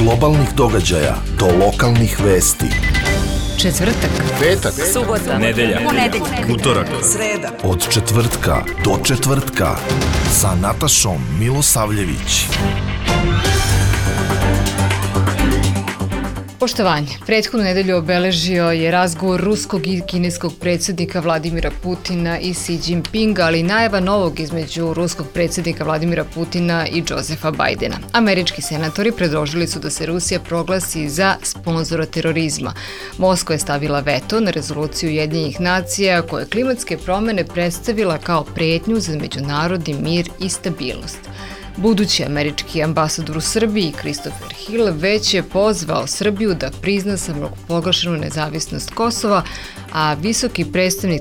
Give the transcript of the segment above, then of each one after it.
globalnih događaja do lokalnih vesti. Četvrtak, petak, subota, nedelja, utorak, sreda. Od četvrtka do četvrtka sa Natašom Milosavljević. Poštovanje. Prethodnu nedelju obeležio je razgovor ruskog i kineskog predsjednika Vladimira Putina i Xi Jinpinga, ali i najava novog između ruskog predsjednika Vladimira Putina i Josefa Bajdena. Američki senatori predložili su da se Rusija proglasi za sponzora terorizma. Moskva je stavila veto na rezoluciju Ujedinjenih nacija koja je klimatske promjene predstavila kao prijetnju za međunarodni mir i stabilnost. Budući američki ambasador u Srbiji, Christopher Hill, već je pozvao Srbiju da prizna samoproglašenu nezavisnost Kosova, a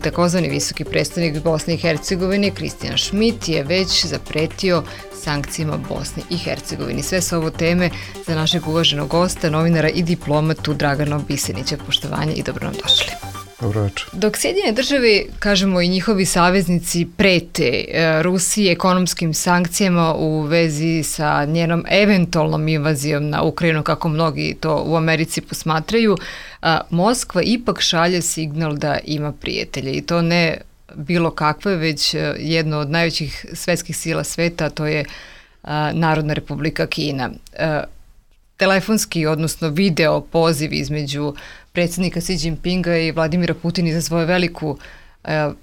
takozvani visoki predstavnik Bosne i Hercegovine, Christian Schmidt, je već zapretio sankcijama Bosne i Hercegovine. Sve su ovo teme za našeg uvaženog gosta, novinara i diplomatu Dragana Bisenića. Poštovanje i dobro nam došli. Dobro večer. Dok Sjedinjene države, kažemo i njihovi saveznici, prete Rusiji ekonomskim sankcijama u vezi sa njenom eventualnom invazijom na Ukrajinu, kako mnogi to u Americi posmatraju, Moskva ipak šalje signal da ima prijatelje i to ne bilo kakve, već jedno od najvećih svetskih sila sveta, a to je Narodna republika Kina. Telefonski, odnosno video poziv između predsjednika Xi Jinpinga i Vladimira Putina izazvao veliku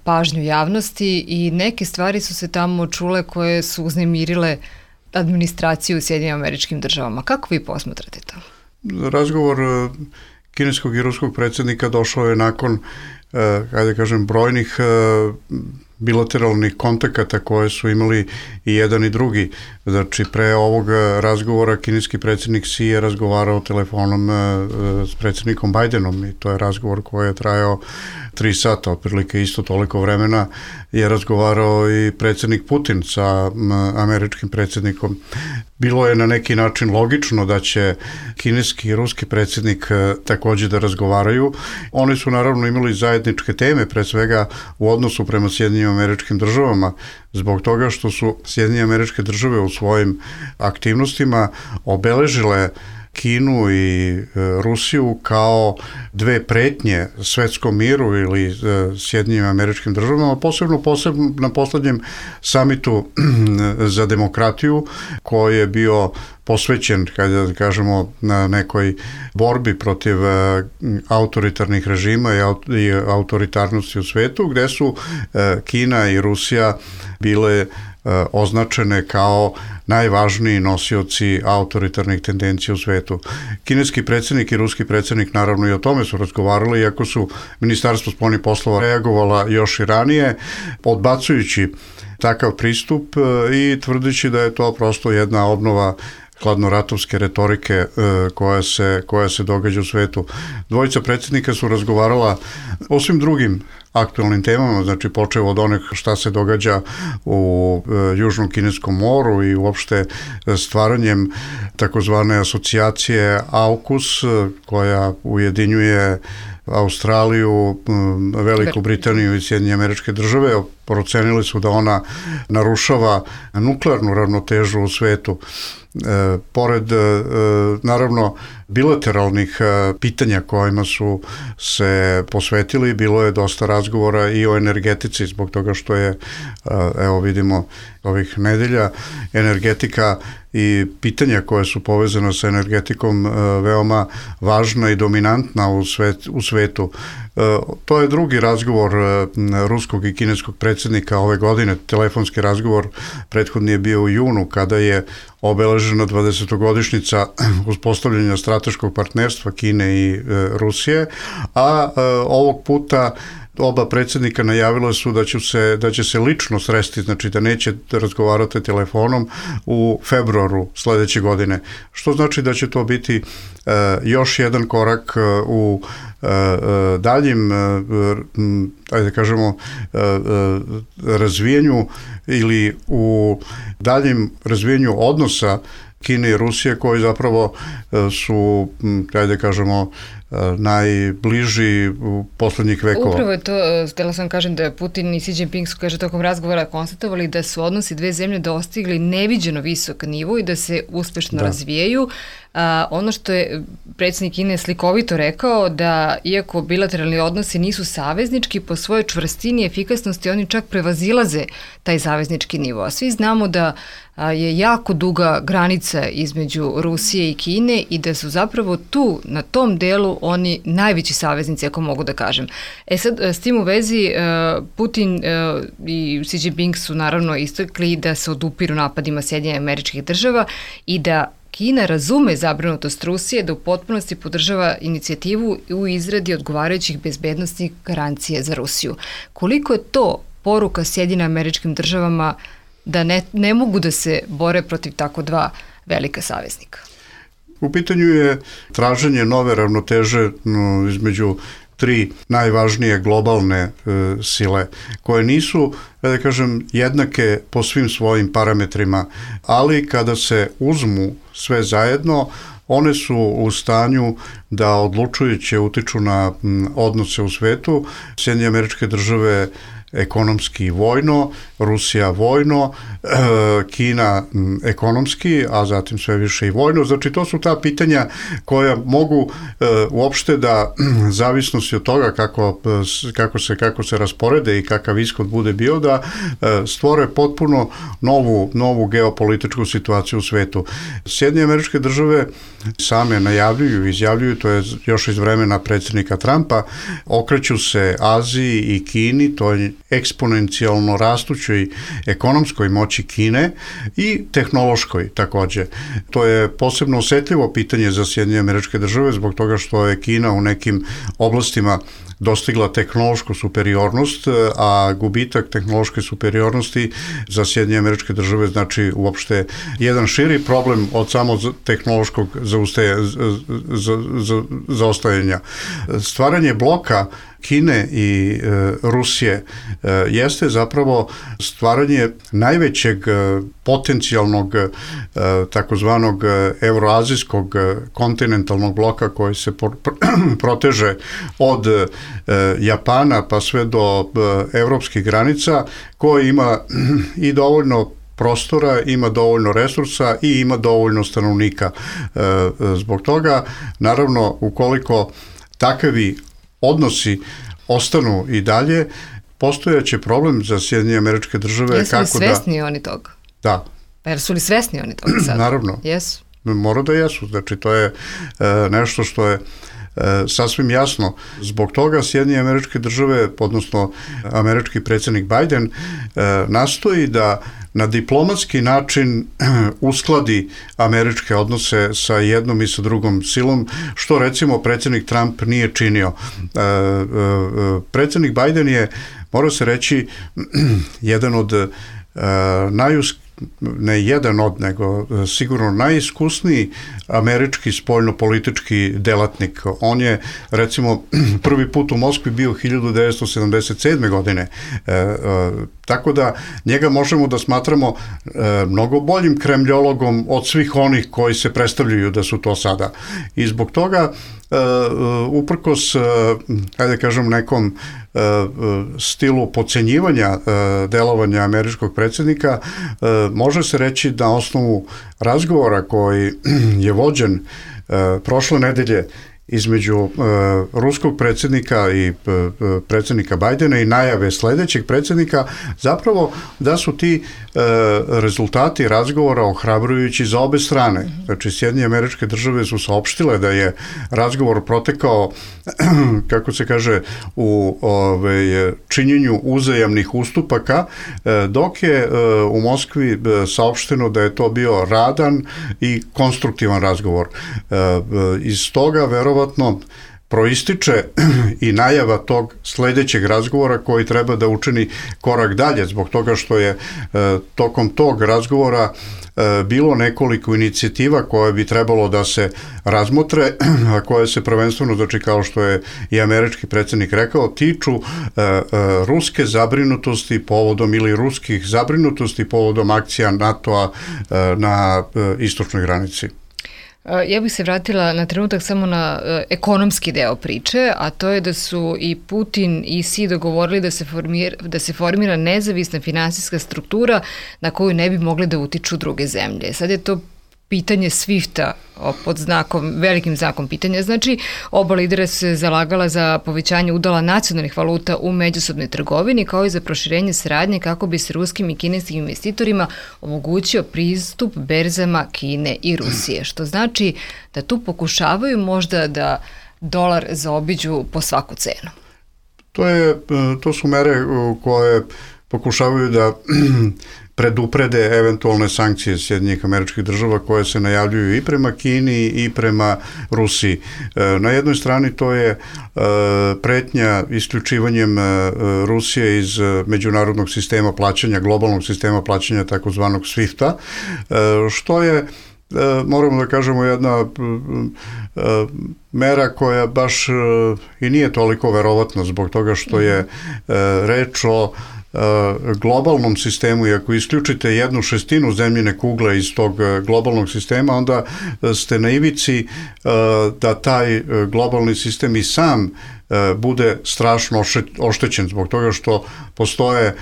pažnju javnosti i neke stvari su se tamo čule koje su uznemirile administraciju u Sjedinjenim Američkim Državama. Kako vi posmatrate to? Razgovor kineskog i ruskog predsjednika došao je nakon, brojnih bilateralnih kontakata koje su imali i jedan i drugi. Znači, pre ovog razgovora kineski predsjednik Xi je razgovarao telefonom s predsjednikom Bajdenom i to je razgovor koji je trajao 3 sata, otprilike isto toliko vremena je razgovarao i predsjednik Putin sa američkim predsjednikom. Bilo je na neki način logično da će kineski i ruski predsjednik također da razgovaraju. Oni su naravno imali zajedničke teme, pre svega u odnosu prema Sjedinjenim Američkim Državama, zbog toga što su Sjedinjene Američke Države u svojim aktivnostima obeležile Kinu i Rusiju kao dve pretnje svetskom miru ili Sjedinjenim Američkim Državama, posebno na posljednjem samitu za demokratiju koji je bio posvećen, kada kažemo, na nekoj borbi protiv autoritarnih režima i autoritarnosti u svetu, gde su Kina i Rusija bile označene kao najvažniji nosioci autoritarnih tendencija u svetu. Kineski predsjednik i ruski predsjednik naravno i o tome su razgovarali, iako su Ministarstvo spoljnih poslova reagovala još i ranije, odbacujući takav pristup i tvrdeći da je to prosto jedna obnova hladnoratovske retorike koja se događa u svetu. Dvojica predsjednika su razgovarala o svim drugim aktualnim temama, znači počeo od onih šta se događa u Južnom kineskom moru i uopšte stvaranjem takozvane asocijacije AUKUS koja ujedinjuje Australiju, Veliku Britaniju i Sjedinjene Američke Države. Procenili su da ona narušava nuklearnu ravnotežu u svetu. Pored, naravno, bilateralnih pitanja kojima su se posvetili, bilo je dosta razgovora i o energetici, zbog toga što je, evo vidimo, ovih nedelja, energetika i pitanja koje su povezane sa energetikom veoma važna i dominantna u svetu. To je drugi razgovor ruskog i kineskog predsjednika ove godine, telefonski razgovor. Prethodni je bio u junu kada je obeležena 20-godišnjica uspostavljanja strateškog partnerstva Kine i Rusije, a ovog puta oba predsjednika najavila su da će se lično sresti, znači da neće razgovarati telefonom u februaru sljedeće godine, što znači da će to biti još jedan korak u daljim, razvijenju ili u daljim razvijenju odnosa Kine i Rusije koji zapravo su, da kažemo, najbliži u poslednjih vekova. Upravo je to, htjela sam kažem da Putin i Xi Jinping su, kaže, tokom razgovora konstatovali da su odnosi dve zemlje dostigli neviđeno visok nivo i da se uspešno razvijaju. Ono što je predsjednik Kine slikovito rekao, da iako bilateralni odnosi nisu saveznički, po svojoj čvrstini i efikasnosti oni čak prevazilaze taj saveznički nivo. A svi znamo da je jako duga granica između Rusije i Kine i da su zapravo tu, na tom delu, oni najveći saveznici, ako mogu da kažem. Sad, s tim u vezi, Putin i Xi Jinping su naravno istakli da se odupiru napadima Sjedinjenih Američkih Država i da Kina razume zabrinutost Rusije da u potpunosti podržava inicijativu u izradi odgovarajućih bezbednostnih garancija za Rusiju. Koliko je to poruka Sjedinjenim Američkim Državama da ne mogu da se bore protiv tako dva velika saveznika? U pitanju je traženje nove ravnoteže između tri najvažnije globalne sile, koje nisu, da kažem, jednake po svim svojim parametrima, ali kada se uzmu sve zajedno, one su u stanju da odlučujuće utiču na odnose u svetu. Sjedinjene Američke Države ekonomski i vojno, Rusija vojno, Kina ekonomski, a zatim sve više i vojno. Znači, to su ta pitanja koja mogu uopšte da, zavisnosti od toga kako se rasporede i kakav ishod bude bio, da stvore potpuno novu geopolitičku situaciju u svetu. Sjedinjene Američke Države same najavljuju, izjavljuju, to je još iz vremena predsjednika Trumpa, okreću se Aziji i Kini, to je eksponencijalno rastućoj ekonomskoj moći Kine i tehnološkoj takođe. To je posebno osetljivo pitanje za Sjedinjene Američke Države zbog toga što je Kina u nekim oblastima dostigla tehnološku superiornost, a gubitak tehnološke superiornosti za Sjedinjene Američke Države znači uopšte jedan širi problem od samo tehnološkog zaostajanja. Stvaranje bloka Kine i Rusije jeste zapravo stvaranje najvećeg potencijalnog takozvanog euroazijskog kontinentalnog bloka koji se proteže od Japana pa sve do evropskih granica, koji ima i dovoljno prostora, ima dovoljno resursa i ima dovoljno stanovnika. Zbog toga, naravno, ukoliko takvi odnosi ostanu i dalje, postojaće problem za Sjedinjene Američke Države. Jesu li svesni oni toga? Da. Pa jer su li svesni oni toga sad? Naravno. Jesu. Mora da jesu. Znači, to je nešto što je sasvim jasno. Zbog toga Sjedinjene Američke Države, odnosno američki predsjednik Biden, nastoji da na diplomatski način uskladi američke odnose sa jednom i sa drugom silom, što recimo predsjednik Trump nije činio. Predsjednik Biden je, mora se reći, jedan od ne jedan od, nego sigurno najiskusniji američki spoljnopolitički delatnik. On je, recimo, prvi put u Moskvi bio 1977. godine. Tako da njega možemo da smatramo mnogo boljim kremljologom od svih onih koji se predstavljaju da su to sada. I zbog toga, uprkos, hajde kažem, nekom stilu podcenjivanja delovanja američkog predsjednika, može se reći da na osnovu razgovora koji je vođen prošle nedelje između ruskog predsjednika i predsjednika Bajdena i najave sljedećeg predsjednika, zapravo da su ti rezultati razgovora ohrabrujući za obe strane. Znači, Sjedinjene Američke Države su saopštile da je razgovor protekao, kako se kaže, u činjenju uzajamnih ustupaka, dok je u Moskvi saopšteno da je to bio radan i konstruktivan razgovor. Iz toga verovatno proističe i najava tog sljedećeg razgovora koji treba da učini korak dalje, zbog toga što je tokom tog razgovora bilo nekoliko inicijativa koje bi trebalo da se razmotre, a koje se prvenstveno, znači kao što je i američki predsjednik rekao, tiču ruske zabrinutosti povodom ili ruskih zabrinutosti povodom akcija NATO-a na istočnoj granici. Ja bih se vratila na trenutak samo na ekonomski deo priče, a to je da su i Putin i Xi dogovorili da se formira nezavisna finansijska struktura na koju ne bi mogli da utiču druge zemlje. Sad je to pitanje SWIFT-a pod velikim znakom pitanja. Znači, oba lidera su se zalagala za povećanje udela nacionalnih valuta u međusobnoj trgovini, kao i za proširenje saradnje kako bi se ruskim i kineskim investitorima omogućio pristup berzama Kine i Rusije. Što znači da tu pokušavaju možda da dolar zaobiđu po svaku cenu. To su mere koje pokušavaju da preduprede eventualne sankcije Sjedinjenih Američkih Država koje se najavljuju i prema Kini i prema Rusiji. Na jednoj strani to je pretnja isključivanjem Rusije iz međunarodnog sistema plaćanja, globalnog sistema plaćanja takozvanog SWIFT-a, što je, moramo da kažemo, jedna mera koja baš i nije toliko verovatna zbog toga što je reč o globalnom sistemu i ako isključite 1/6 zemljine kugle iz tog globalnog sistema, onda ste na ivici da taj globalni sistem i sam bude strašno oštećen zbog toga što postoje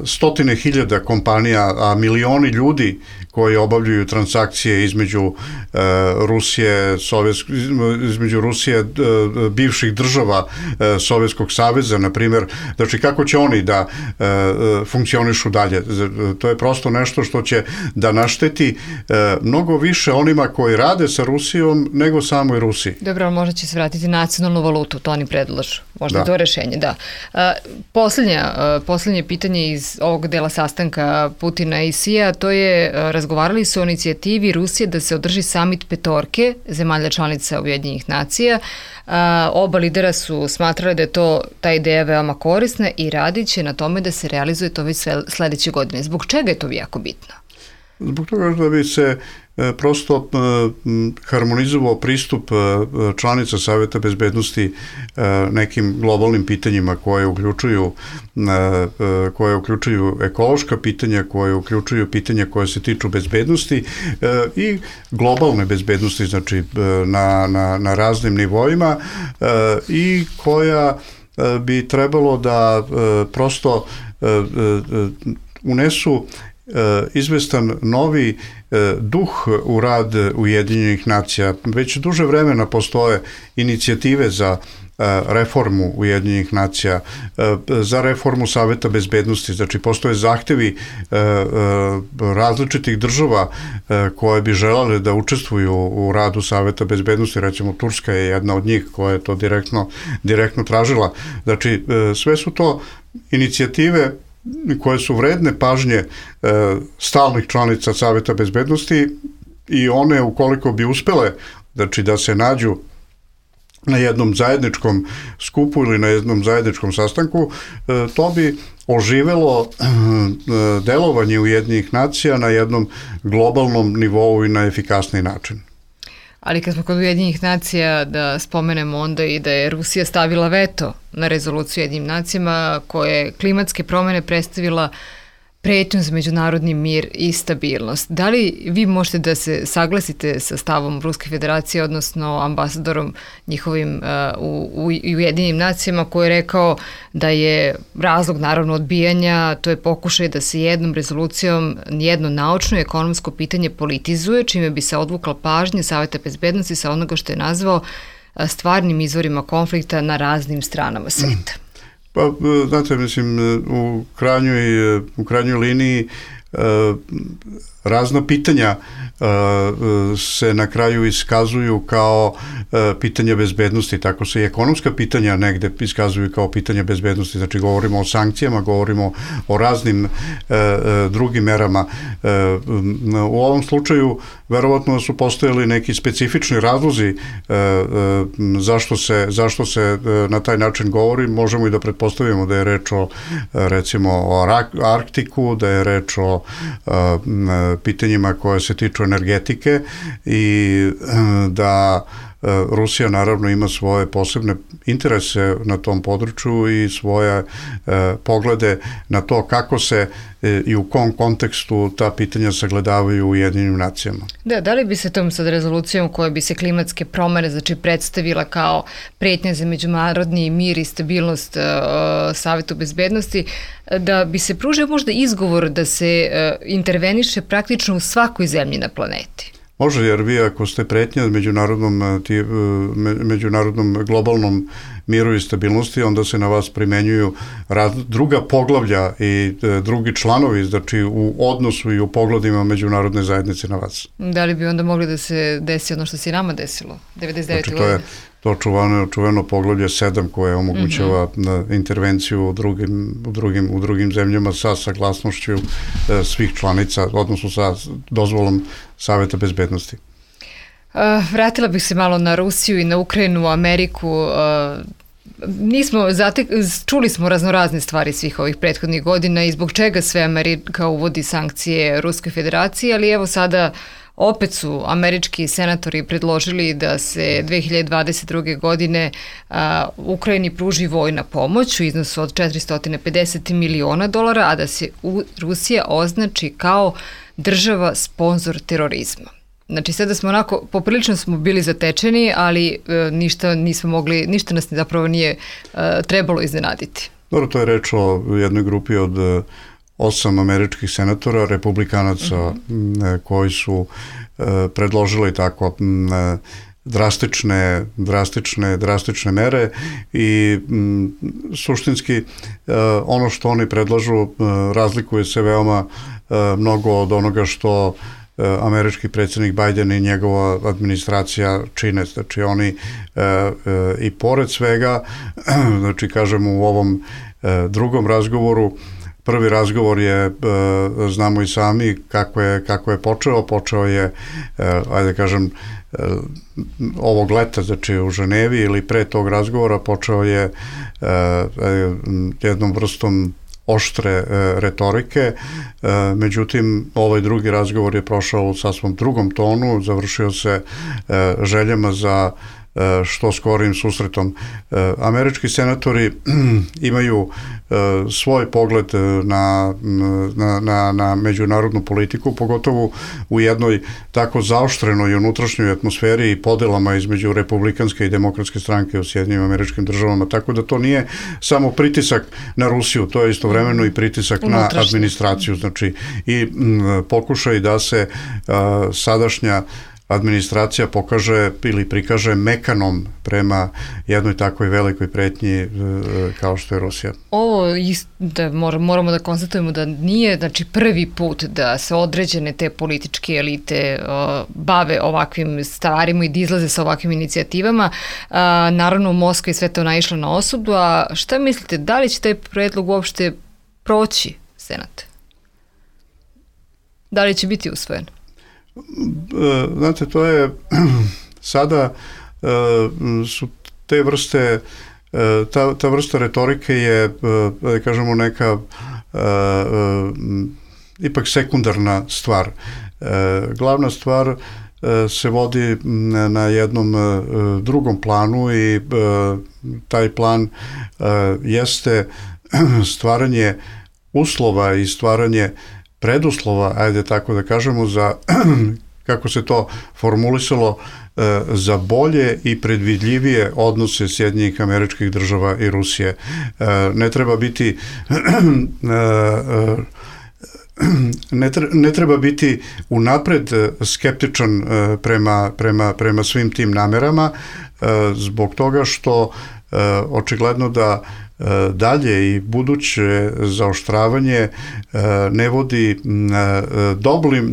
stotine hiljada kompanija, a milioni ljudi koji obavljaju transakcije između Rusije, bivših država Sovjetskog saveza, na primjer. Znači, kako će oni da funkcionišu dalje? To je prosto nešto što će da našteti mnogo više onima koji rade sa Rusijom nego samoj Rusiji. Dobro, ali možda će se vratiti nacionalnu valutu, to oni predlažu. Možda to rešenje, da. Poslednje pitanje iz ovog dela sastanka Putina i Xija, to je razgovarali su o inicijativi Rusije da se održi samit petorke zemalja članica Ujedinjenih nacija. Oba lidera su smatrali da je ta ideja veoma korisna i radit će na tome da se realizuje to već sledeće godine. Zbog čega je to jako bitno? Zbog toga da bi se prosto harmonizovao pristup članica Saveta bezbednosti nekim globalnim pitanjima koje uključuju ekološka pitanja, koje uključuju pitanja koje se tiču bezbednosti i globalne bezbednosti, znači na raznim nivoima i koja bi trebalo da prosto unesu izvestan novi duh u rad Ujedinjenih nacija. Već duže vremena postoje inicijative za reformu Ujedinjenih nacija, za reformu Saveta bezbednosti. Znači, postoje zahtevi različitih država koje bi želele da učestvuju u radu Saveta bezbednosti. Recimo, Turska je jedna od njih koja je to direktno tražila. Znači, sve su to inicijative koje su vredne pažnje stalnih članica Saveta bezbednosti i one, ukoliko bi uspele, znači da se nađu na jednom zajedničkom skupu ili na jednom zajedničkom sastanku, to bi oživelo delovanje Ujedinjenih nacija na jednom globalnom nivou i na efikasniji način. Ali kad smo kod Ujedinjenih nacija, da spomenemo onda i da je Rusija stavila veto na rezoluciju Ujedinjenim nacijama koje klimatske promjene predstavila pretnju za međunarodni mir i stabilnost. Da li vi možete da se saglasite sa stavom Ruske federacije, odnosno ambasadorom njihovim u Ujedinjenim nacijama, koji je rekao da je razlog naravno odbijanja, to je pokušaj da se jednom rezolucijom jedno naučno i ekonomsko pitanje politizuje, čime bi se odvukla pažnja Saveta bezbednosti sa onoga što je nazvao stvarnim izvorima konflikta na raznim stranama sveta? Pa, znate, mislim, u krajnjoj liniji razna pitanja se na kraju iskazuju kao pitanja bezbednosti, tako se i ekonomska pitanja negde iskazuju kao pitanja bezbednosti, znači govorimo o sankcijama, govorimo o raznim drugim merama. U ovom slučaju verovatno su postojali neki specifični razlozi zašto se na taj način govori. Možemo i da pretpostavimo da je reč o, recimo, o Arktiku, da je reč o o pitanjima koje se tiču energetike i da Rusija naravno ima svoje posebne interese na tom području i svoje poglede na to kako se i u kom kontekstu ta pitanja sagledavaju u Ujedinjenim nacijama. Da li bi se tom sad rezolucijom koja bi se klimatske promjene predstavila kao pretnja za međunarodni mir i stabilnost Savetu bezbednosti, da bi se pružio možda izgovor da se interveniše praktično u svakoj zemlji na planeti? Može, jer vi ako ste pretnja međunarodnom globalnom miru i stabilnosti, onda se na vas primenjuju druga poglavlja i drugi članovi, znači u odnosu i u pogledima međunarodne zajednice na vas. Da li bi onda mogli da se desi ono što se i nama desilo 99. Znači, to je to čuveno poglavlje 7 koje omogućava intervenciju u drugim zemljama sa saglasnošću svih članica, odnosno sa dozvolom Saveta bezbednosti. Vratila bih se malo na Rusiju i na Ukrajinu, Ameriku. Čuli smo raznorazne stvari svih ovih prethodnih godina i zbog čega sve Amerika uvodi sankcije Ruskoj federaciji, ali evo sada opet su američki senatori predložili da se 2022. godine Ukrajini pruži vojna pomoć u iznosu od $450 miliona, a da se Rusija označi kao država sponzor terorizma. Znači sada smo onako, poprilično smo bili zatečeni, ali ništa nas zapravo nije trebalo iznenaditi. Dobro, to je reč o jednoj grupi od 8 američkih senatora, republikanaca koji su predložili tako drastične mere i suštinski ono što oni predlažu razlikuje se veoma mnogo od onoga što američki predsjednik Biden i njegova administracija čine. Znači oni i pored svega, znači kažemo u ovom drugom razgovoru, prvi razgovor je, znamo i sami kako je počeo je, ajde kažem, ovog leta, znači u Ženevi ili pre tog razgovora počeo je jednom vrstom oštre retorike, međutim ovaj drugi razgovor je prošao u sasvom drugom tonu, završio se željama za što skorim susretom. Američki senatori imaju svoj pogled na međunarodnu politiku, pogotovo u jednoj tako zaoštrenoj unutrašnjoj atmosferi i podelama između republikanske i demokratske stranke u Sjedinjenim Američkim Državama, tako da to nije samo pritisak na Rusiju, to je istovremeno i pritisak na administraciju, znači i pokušaj da se sadašnja administracija pokaže ili prikaže mekanom prema jednoj takvoj velikoj pretnji kao što je Rusija. Ovo moramo da konstatujemo da nije prvi put da se određene te političke elite bave ovakvim stvarima i da izlaze sa ovakvim inicijativama. Naravno u Moskvi sve to naišlo na osudu, a šta mislite, da li će taj predlog uopšte proći Senat? Da li će biti usvojen? Znate, to je sada su te vrste, ta vrsta retorike je, da kažemo, neka ipak sekundarna stvar. Glavna stvar se vodi na jednom drugom planu i taj plan jeste stvaranje uslova i stvaranje preduslova, ajde tako da kažemo, za, kako se to formulisalo, za bolje i predvidljivije odnose Sjedinjenih Američkih Država i Rusije. Ne treba biti unapred skeptičan prema svim tim namerama, zbog toga što očigledno da dalje i buduće zaoštravanje ne vodi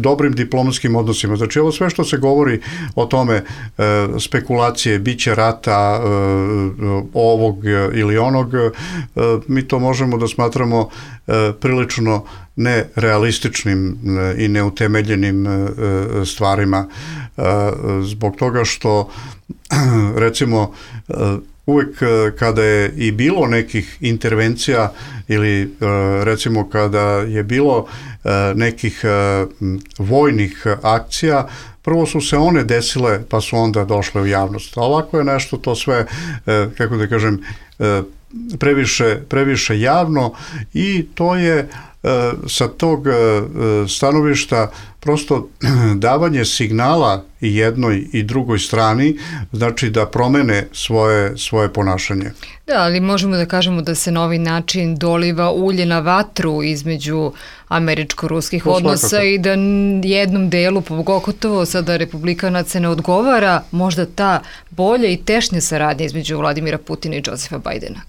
dobrim diplomatskim odnosima. Znači ovo sve što se govori o tome, spekulacije, biće rata ovog ili onog, mi to možemo da smatramo prilično nerealističnim i neutemeljenim stvarima, zbog toga što recimo uvek kada je i bilo nekih intervencija ili recimo kada je bilo nekih vojnih akcija, prvo su se one desile pa su onda došle u javnost. A ovako je nešto to sve, kako da kažem, previše javno i to je sa tog stanovišta prosto davanje signala i jednoj i drugoj strani, znači da promene svoje ponašanje. Da, ali možemo da kažemo da se na ovaj način doliva ulje na vatru između američko-ruskih odnosa i da jednom delu, pogotovo sada republikanaca, ne odgovara možda ta bolja i tešnja saradnja između Vladimira Putina i Josefa Bajdena.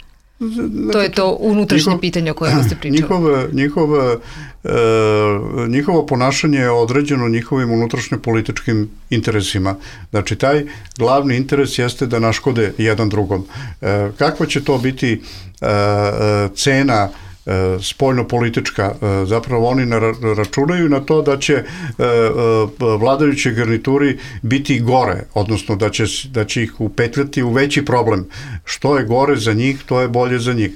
To je to unutrašnje pitanje o kojem ste pričali. Njihovo ponašanje je određeno njihovim unutrašnje političkim interesima. Znači, taj glavni interes jeste da naškode jedan drugom. Kakva će to biti cena spoljno-politička? Zapravo oni računaju na to da će vladajući garnituri biti gore, odnosno da će ih upetljati u veći problem. Što je gore za njih, to je bolje za njih.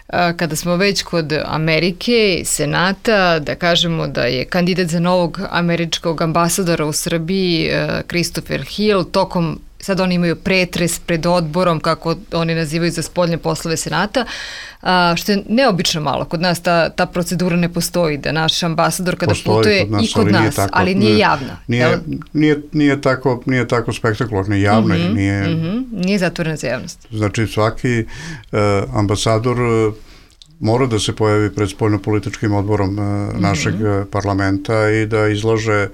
Kada smo već kod Amerike i Senata, da kažemo da je kandidat za novog američkog ambasadora u Srbiji Christopher Hill tokom, sad oni imaju pretres pred odborom, kako oni nazivaju, za spoljne poslove Senata, što je neobično malo. Kod nas ta procedura ne postoji, da naš ambasador kada putuje i kod nas, ali nije javna. Nije tako spektakularno, javno je. Nije zatvorena za javnost. Znači svaki ambasador mora da se pojavi pred spoljno-političkim odborom našeg parlamenta i da izlaže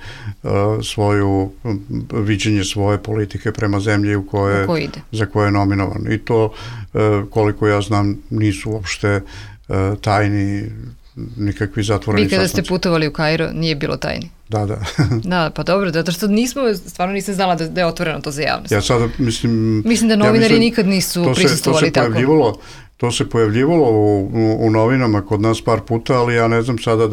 svoju viđenje svoje politike prema zemlji za koje je nominovan. I to, koliko ja znam, nisu uopšte tajni, nikakvi zatvoreni sastanci. Vi kada ste putovali u Kairo, nije bilo tajni? Da. Da, pa dobro, zato što stvarno nisam znala da je otvoreno to za javnost. Ja sada mislim da novinari nikad nisu prisustvovali tako. To se pojavljivalo u novinama kod nas par puta, ali ja ne znam sada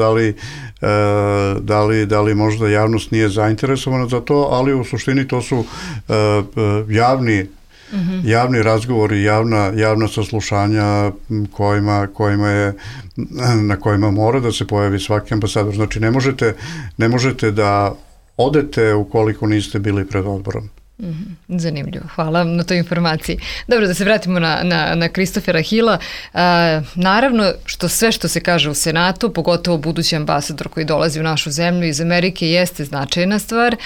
da li možda javnost nije zainteresovana za to, ali u suštini to su javni razgovori, javna saslušanja na kojima mora da se pojavi svaki ambasador. Znači ne možete da odete ukoliko niste bili pred odborom. Zanimljivo, hvala na toj informaciji. Dobro, da se vratimo na Christophera Hilla. Naravno, sve što se kaže u Senatu, pogotovo budući ambasador koji dolazi u našu zemlju iz Amerike, jeste značajna stvar,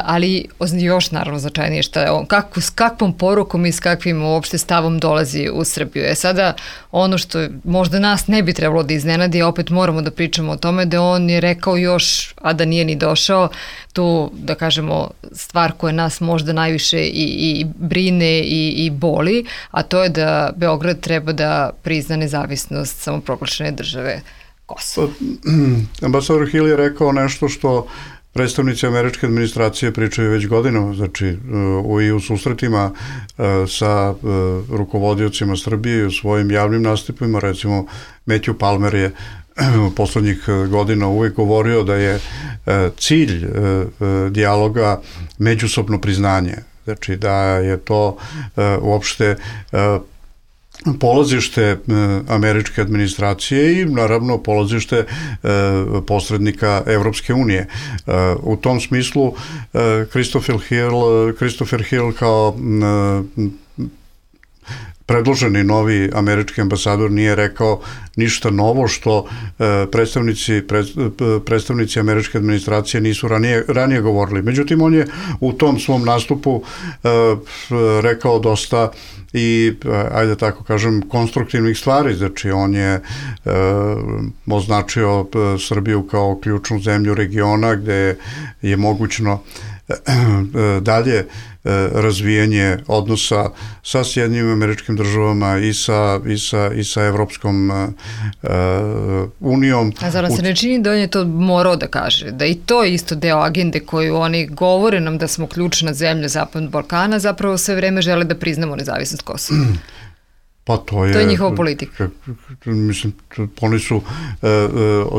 ali još naravno značajnije šta je on, s kakvom porukom i s kakvim uopšte stavom dolazi u Srbiju. Sada ono što možda nas ne bi trebalo da iznenadi, opet moramo da pričamo o tome, da on je rekao još, a da nije ni došao, tu, da kažemo, stvar koja nas možda najviše i brine i boli, a to je da Beograd treba da prizna nezavisnost samoproglašene države Kosova. Ambasador Hill je rekao nešto što predstavnici američke administracije pričaju već godinama, znači i u susretima sa rukovodiocima Srbije i u svojim javnim nastupima, recimo Matthew Palmer je poslednjih godina uvijek govorio da je cilj dijaloga međusobno priznanje. Znači da je to uopšte polazište američke administracije i naravno polazište posrednika Evropske unije. U tom smislu Christopher Hill kao predloženi novi američki ambasador nije rekao ništa novo što predstavnici američke administracije nisu ranije govorili. Međutim, on je u tom svom nastupu rekao dosta i, ajde tako kažem, konstruktivnih stvari. Znači, on je označio Srbiju kao ključnu zemlju regiona gde je mogućno dalje razvijanje odnosa sa Sjedinjenim Američkim Državama i sa Evropskom unijom. A zar se ne čini da on je to morao da kaže? Da i to je isto deo agende koju oni govore nam da smo ključna zemlja Zapadnog Balkana, zapravo sve vreme žele da priznamo nezavisnost Kosova. Pa to je njihova politika. Mislim, oni su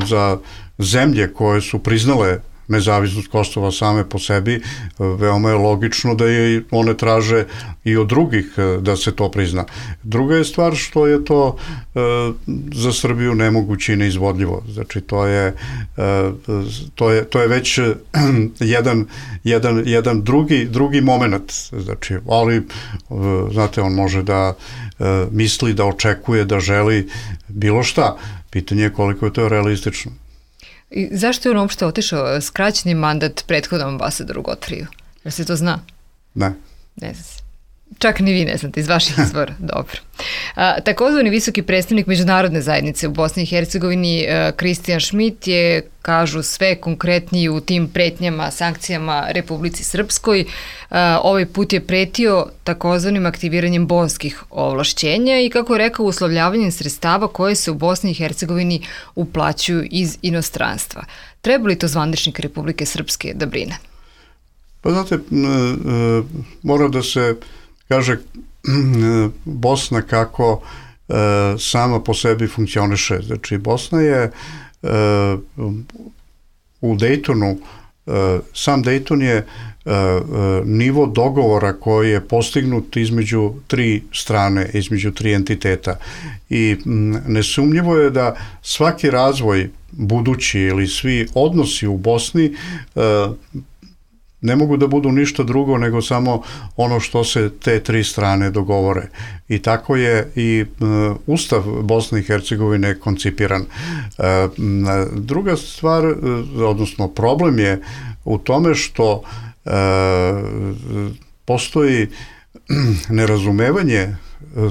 za zemlje koje su priznale nezavisnost Kosova same po sebi, veoma je logično da je one traže i od drugih da se to prizna. Druga je stvar što je to za Srbiju nemoguće i neizvodljivo. Znači, to je već jedan drugi moment. Znači, ali, znate, on može da misli, da očekuje, da želi bilo šta. Pitanje je koliko je to realistično. I zašto je on uopšte otišao skraćeni mandat prethodnom ambasadoru Godfriju? Jer se to zna? Ne. Ne zna se. Čak ni vi ne znate, iz vaših izvora. Dobro. Takozvani visoki predstavnik međunarodne zajednice u Bosni i Hercegovini, Kristijan Šmit, je, kažu, sve konkretniji u tim pretnjama, sankcijama Republici Srpskoj. Ovaj put je pretio takozvanim aktiviranjem bonskih ovlašćenja i, kako je rekao, uslovljavanjem sredstava koje se u Bosni i Hercegovini uplaćuju iz inostranstva. Treba li to zvaničnik Republike Srpske da brine? Pa znate, mora da se kaže Bosna kako sama po sebi funkcioniše. Znači, Bosna je u Dejtonu, sam Dejton je nivo dogovora koji je postignut između tri strane, između tri entiteta. I nesumnjivo je da svaki razvoj budući ili svi odnosi u Bosni ne mogu da budu ništa drugo nego samo ono što se te tri strane dogovore. I tako je i Ustav Bosne i Hercegovine koncipiran. Druga stvar, odnosno problem je u tome što postoji nerazumevanje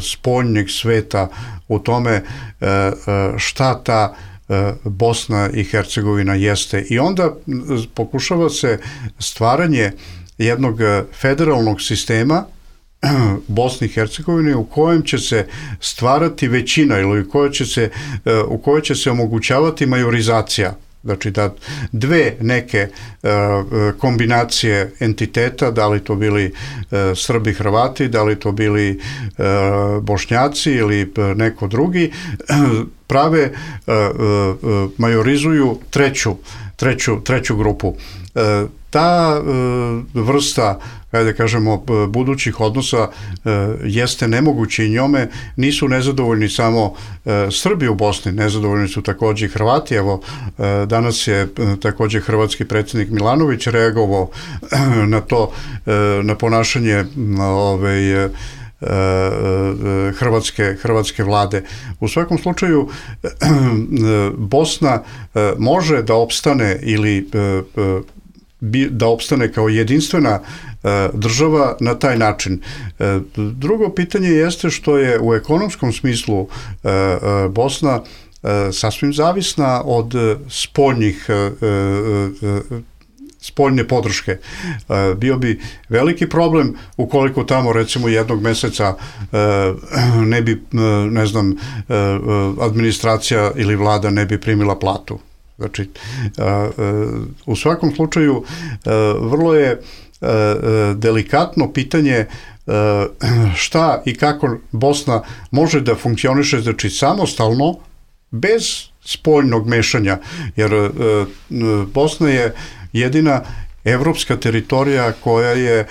spoljnjeg sveta u tome šta ta Bosna i Hercegovina jeste. I onda pokušava se stvaranje jednog federalnog sistema Bosni i Hercegovine u kojem će se stvarati većina ili u kojoj će se omogućavati majorizacija. Znači da dve neke kombinacije entiteta, da li to bili Srbi, Hrvati, da li to bili Bošnjaci ili neko drugi, prave, majorizuju treću grupu. Ta vrsta, da kažemo, budućih odnosa jeste nemoguće i njome nisu nezadovoljni samo Srbi u Bosni, nezadovoljni su također i Hrvati. Evo, danas je također hrvatski predsjednik Milanović reagovao na to, na ponašanje hrvatske vlade. U svakom slučaju Bosna može da opstane ili da opstane kao jedinstvena država na taj način. Drugo pitanje jeste što je u ekonomskom smislu Bosna sasvim zavisna od spoljne podrške. Bio bi veliki problem ukoliko tamo recimo jednog meseca ne bi, ne znam, administracija ili vlada ne bi primila platu. Znači, u svakom slučaju vrlo je delikatno pitanje šta i kako Bosna može da funkcioniše, znači samostalno, bez spoljnog mešanja, jer Bosna je jedina evropska teritorija koja je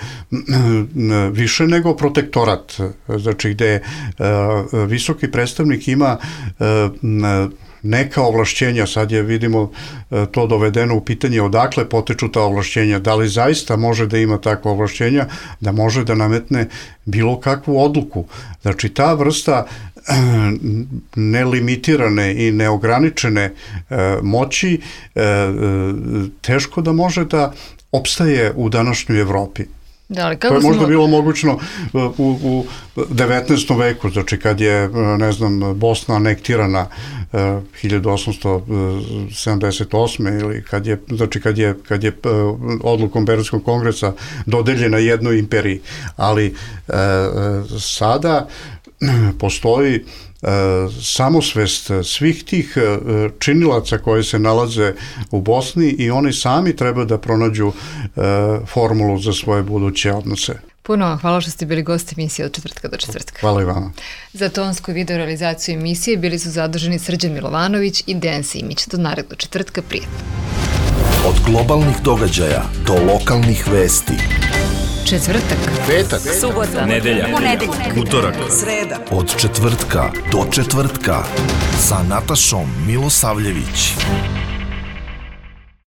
više nego protektorat, znači gde visoki predstavnik ima neka ovlašćenja, sad je vidimo to dovedeno u pitanje odakle potiču ta ovlašćenja, da li zaista može da ima takva ovlašćenja, da može da nametne bilo kakvu odluku. Znači ta vrsta nelimitirane i neograničene moći teško da može da opstaje u današnjoj Evropi. To je možda bilo mogućno u 19. veku, znači kad je, ne znam, Bosna anektirana 1878. ili kad je odlukom Berlinskog kongresa dodeljena jednoj imperiji. Ali sada postoji samosvest svih tih činilaca koji se nalaze u Bosni i oni sami treba da pronađu formulu za svoje buduće odnose. Puno vam hvala što ste bili gosti emisije od četvrtka do četvrtka. Hvala i vama. Za tonsku video realizaciju emisije bili su zaduženi Srđan Milovanović i Dejan Simić. Do narednog četvrtka, prijetno. Od globalnih događaja do lokalnih vesti. Četvrtak, petak, subota, nedelja, utorak, sreda. Od četvrtka do četvrtka sa Natašom Milosavljević.